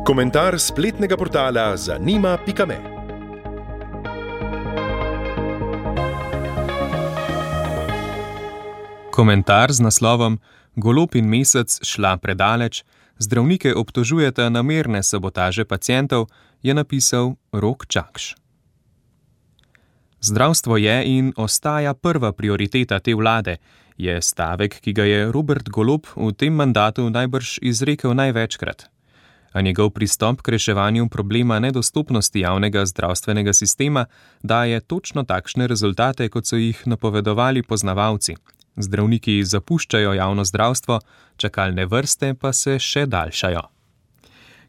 Komentar spletnega portala zanima.me. Komentar z naslovom Golob in Mesec šla predaleč, zdravnike obtožujeta namerne sabotaže pacientov, je napisal Rok Čakš. Zdravstvo je in ostaja prva prioriteta te vlade, je stavek, ki ga je Robert Golob v tem mandatu najbrž izrekel največkrat. A njegov pristop k reševanju problema nedostopnosti javnega zdravstvenega sistema daje točno takšne rezultate, kot so jih napovedovali poznavalci. Zdravniki zapuščajo javno zdravstvo, čakalne vrste pa se še daljšajo.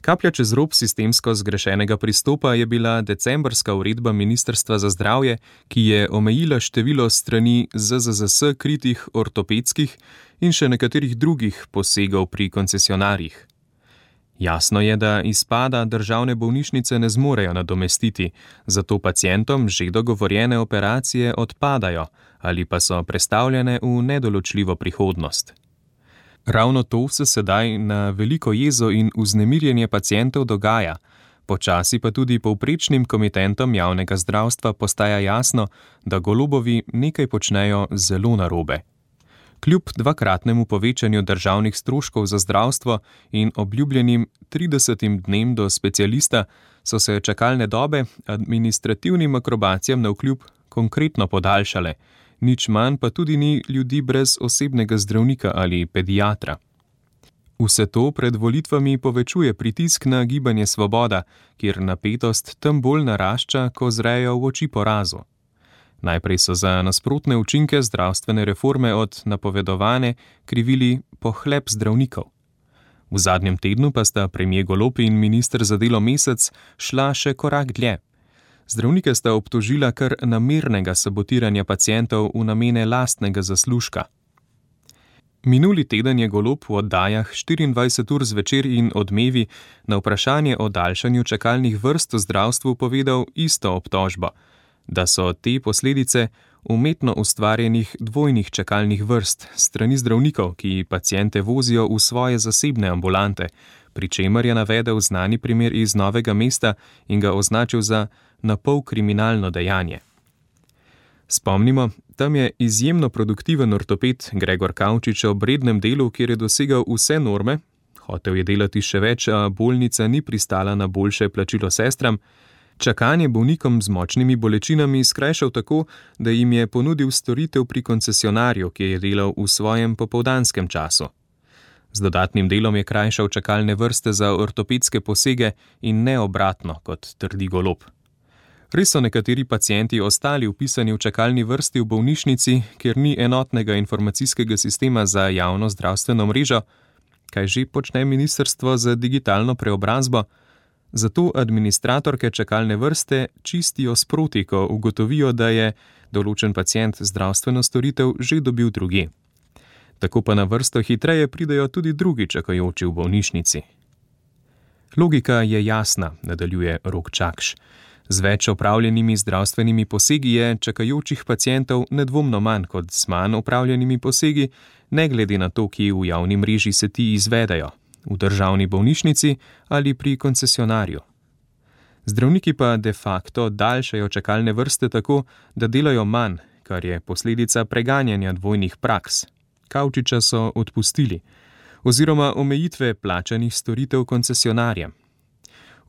Kaplja čez rob sistemsko zgrešenega pristopa je bila decembrska uredba Ministrstva za zdravje, ki je omejila število strani ZZZS kritih ortopedskih in še nekaterih drugih posegov pri koncesionarjih. Jasno je, da izpada državne bolnišnice ne zmorejo nadomestiti, zato pacientom že dogovorjene operacije odpadajo ali pa so prestavljene v nedoločljivo prihodnost. Ravno to se sedaj na veliko jezo in vznemirjenje pacientov dogaja, počasi pa tudi povprečnim komitentom javnega zdravstva postaja jasno, da Golobovi nekaj počnejo zelo narobe. Kljub dvakratnemu povečanju državnih stroškov za zdravstvo in obljubljenim 30 dnem do specialista so se čakalne dobe administrativnim akrobacijam navkljub konkretno podaljšale, nič manj pa tudi ni ljudi brez osebnega zdravnika ali pediatra. Vse to pred volitvami povečuje pritisk na Gibanje Svoboda, kjer napetost tem bolj narašča, ko zrejo v oči porazu. Najprej so za nasprotne učinke zdravstvene reforme od napovedovane krivili pohlep zdravnikov. V zadnjem tednu pa sta premier Golob in minister za delo Mesec šla še korak dlje. Zdravnike sta obtožila kar namernega sabotiranja pacientov v namene lastnega zaslužka. Minuli teden je Golob v oddajah 24 ur zvečer in Odmevi na vprašanje o daljšanju čakalnih vrst v zdravstvu povedal isto obtožbo, da so te posledice umetno ustvarjenih dvojnih čakalnih vrst strani zdravnikov, ki paciente vozijo v svoje zasebne ambulante, pri čemer je navedel znani primer iz Novega mesta in ga označil za napol kriminalno dejanje. Spomnimo, tam je izjemno produktiven ortoped Gregor Kavčič ob rednem delu, kjer je dosegal vse norme, hotel je delati še več, a bolnica ni pristala na boljše plačilo sestram, čakanje bolnikom z močnimi bolečinami skrajšal tako, da jim je ponudil storitev pri koncesionarju, ki je delal v svojem popoldanskem času. Z dodatnim delom je krajšal čakalne vrste za ortopedske posege in ne obratno, kot trdi Golob. Res so nekateri pacienti ostali vpisani v čakalni vrsti v bolnišnici, kjer ni enotnega informacijskega sistema za javno zdravstveno mrežo, kaj že počne Ministrstvo za digitalno preobrazbo. Zato administratorke čakalne vrste čistijo sproti, ko ugotovijo, da je določen pacient zdravstveno storitev že dobil drugje. Tako pa na vrsto hitreje pridejo tudi drugi čakajoči v bolnišnici. Logika je jasna, nadaljuje Rok Čakš. Z več opravljenimi zdravstvenimi posegi je čakajočih pacientov nedvomno manj kot z manj opravljenimi posegi, ne glede na to, kje v javni mreži se ti izvedejo. V državni bolnišnici ali pri koncesionarju. Zdravniki pa de facto daljšajo čakalne vrste tako, da delajo manj, kar je posledica preganjanja dvojnih praks. Kavčiča so odpustili, oziroma omejitve plačanih storitev koncesionarjem.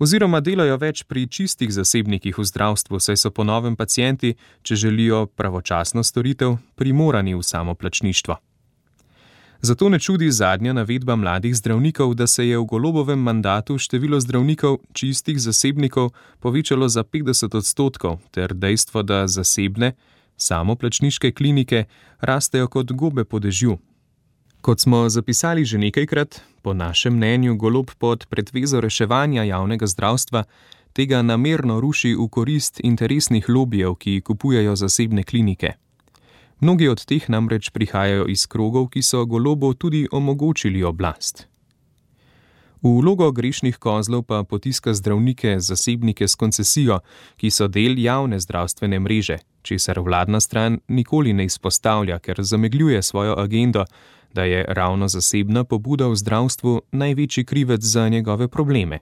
Oziroma delajo več pri čistih zasebnikih v zdravstvu, saj so po novem pacienti, če želijo pravočasno storitev, primorani v samoplačništvo. Zato ne čudi zadnja navedba mladih zdravnikov, da se je v Golobovem mandatu število zdravnikov čistih zasebnikov povečalo za 50% ter dejstvo, da zasebne, samoplačniške klinike rastejo kot gobe po dežju. Kot smo zapisali že nekajkrat, po našem mnenju Golob pod pretvezo reševanja javnega zdravstva tega namerno ruši v korist interesnih lobijev, ki kupujejo zasebne klinike. Mnogi od teh namreč prihajajo iz krogov, ki so Golobu tudi omogočili oblast. V vlogo grešnih kozlov pa potiska zdravnike, zasebnike s koncesijo, ki so del javne zdravstvene mreže, česar vladna stran nikoli ne izpostavlja, ker zamegljuje svojo agendo, da je ravno zasebna pobuda v zdravstvu največji krivec za njegove probleme.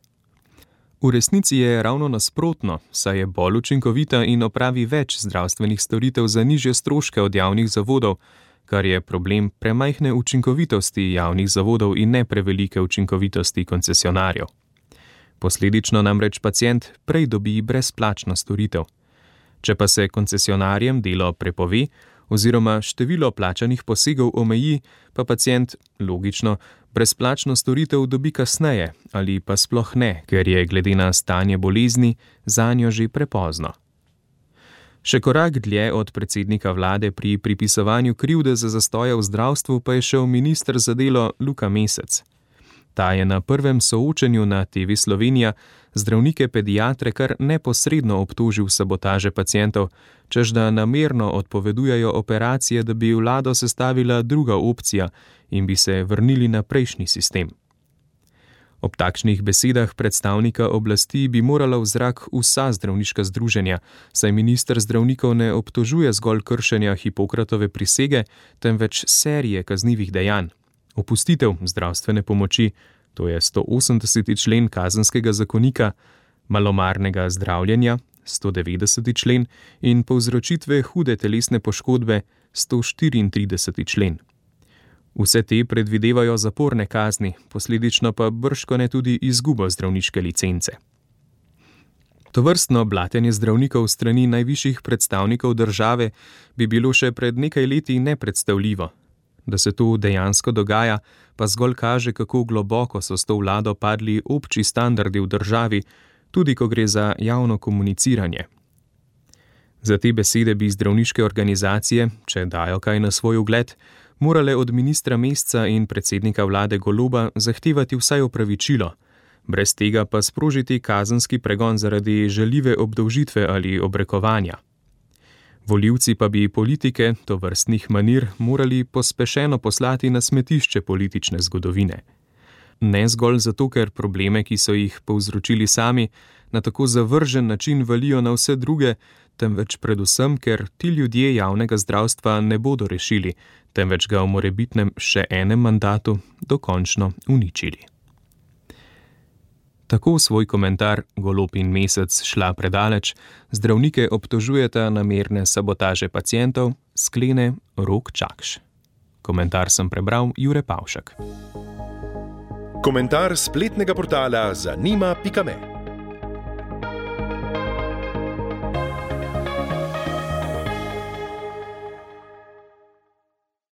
V resnici je ravno nasprotno, saj je bolj učinkovita in opravi več zdravstvenih storitev za nižje stroške od javnih zavodov, kar je problem premajhne učinkovitosti javnih zavodov in ne prevelike učinkovitosti koncesionarjev. Posledično namreč pacient prej dobi brezplačno storitev. Če pa se koncesionarjem delo prepove oziroma število plačanih posegov omeji, pa pacient, logično, brezplačno storitev dobi kasneje ali pa sploh ne, ker je glede na stanje bolezni zanjo že prepozno. Še korak dlje od predsednika vlade pri pripisovanju krivde za zastoje v zdravstvu pa je šel minister za delo Luka Mesec. Ta je na prvem soočenju na TV Slovenija zdravnike pediatre kar neposredno obtožil sabotaže pacientov, češ da namerno odpovedujejo operacije, da bi vlado sestavila druga opcija in bi se vrnili na prejšnji sistem. Ob takšnih besedah predstavnika oblasti bi morala v zrak vsa zdravniška združenja, saj minister zdravnikov ne obtožuje zgolj kršenja Hipokratove prisege, temveč serije kaznivih dejanj. Opustitev zdravstvene pomoči, to je 180. člen kazenskega zakonika, malomarnega zdravljenja, 190. člen in povzročitve hude telesne poškodbe, 134. člen. Vse te predvidevajo zaporne kazni, posledično pa bržkone tudi izgubo zdravniške licence. Tovrstno blatenje zdravnikov strani najvišjih predstavnikov države bi bilo še pred nekaj leti nepredstavljivo. Da se to dejansko dogaja, pa zgolj kaže, kako globoko so s to vlado padli obči standardi v državi, tudi ko gre za javno komuniciranje. Za te besede bi zdravniške organizacije, če dajo kaj na svoj ugled, morale od ministra Mesca in predsednika vlade Goloba zahtevati vsaj opravičilo, brez tega pa sprožiti kazenski pregon zaradi žaljive obdolžitve ali obrekovanja. Volivci pa bi politike tovrstnih manir morali pospešeno poslati na smetišče politične zgodovine. Ne zgolj zato, ker probleme, ki so jih povzročili sami, na tako zavržen način valijo na vse druge, temveč predvsem, ker ti ljudje javnega zdravstva ne bodo rešili, temveč ga v morebitnem še enem mandatu dokončno uničili. Tako svoj komentar Golob in Mesec šla predaleč, zdravnike obtožujeta namerne sabotaže pacientov, sklene Rok Čakš. Komentar sem prebral Jure Pavšek. Komentar spletnega portala zanima.me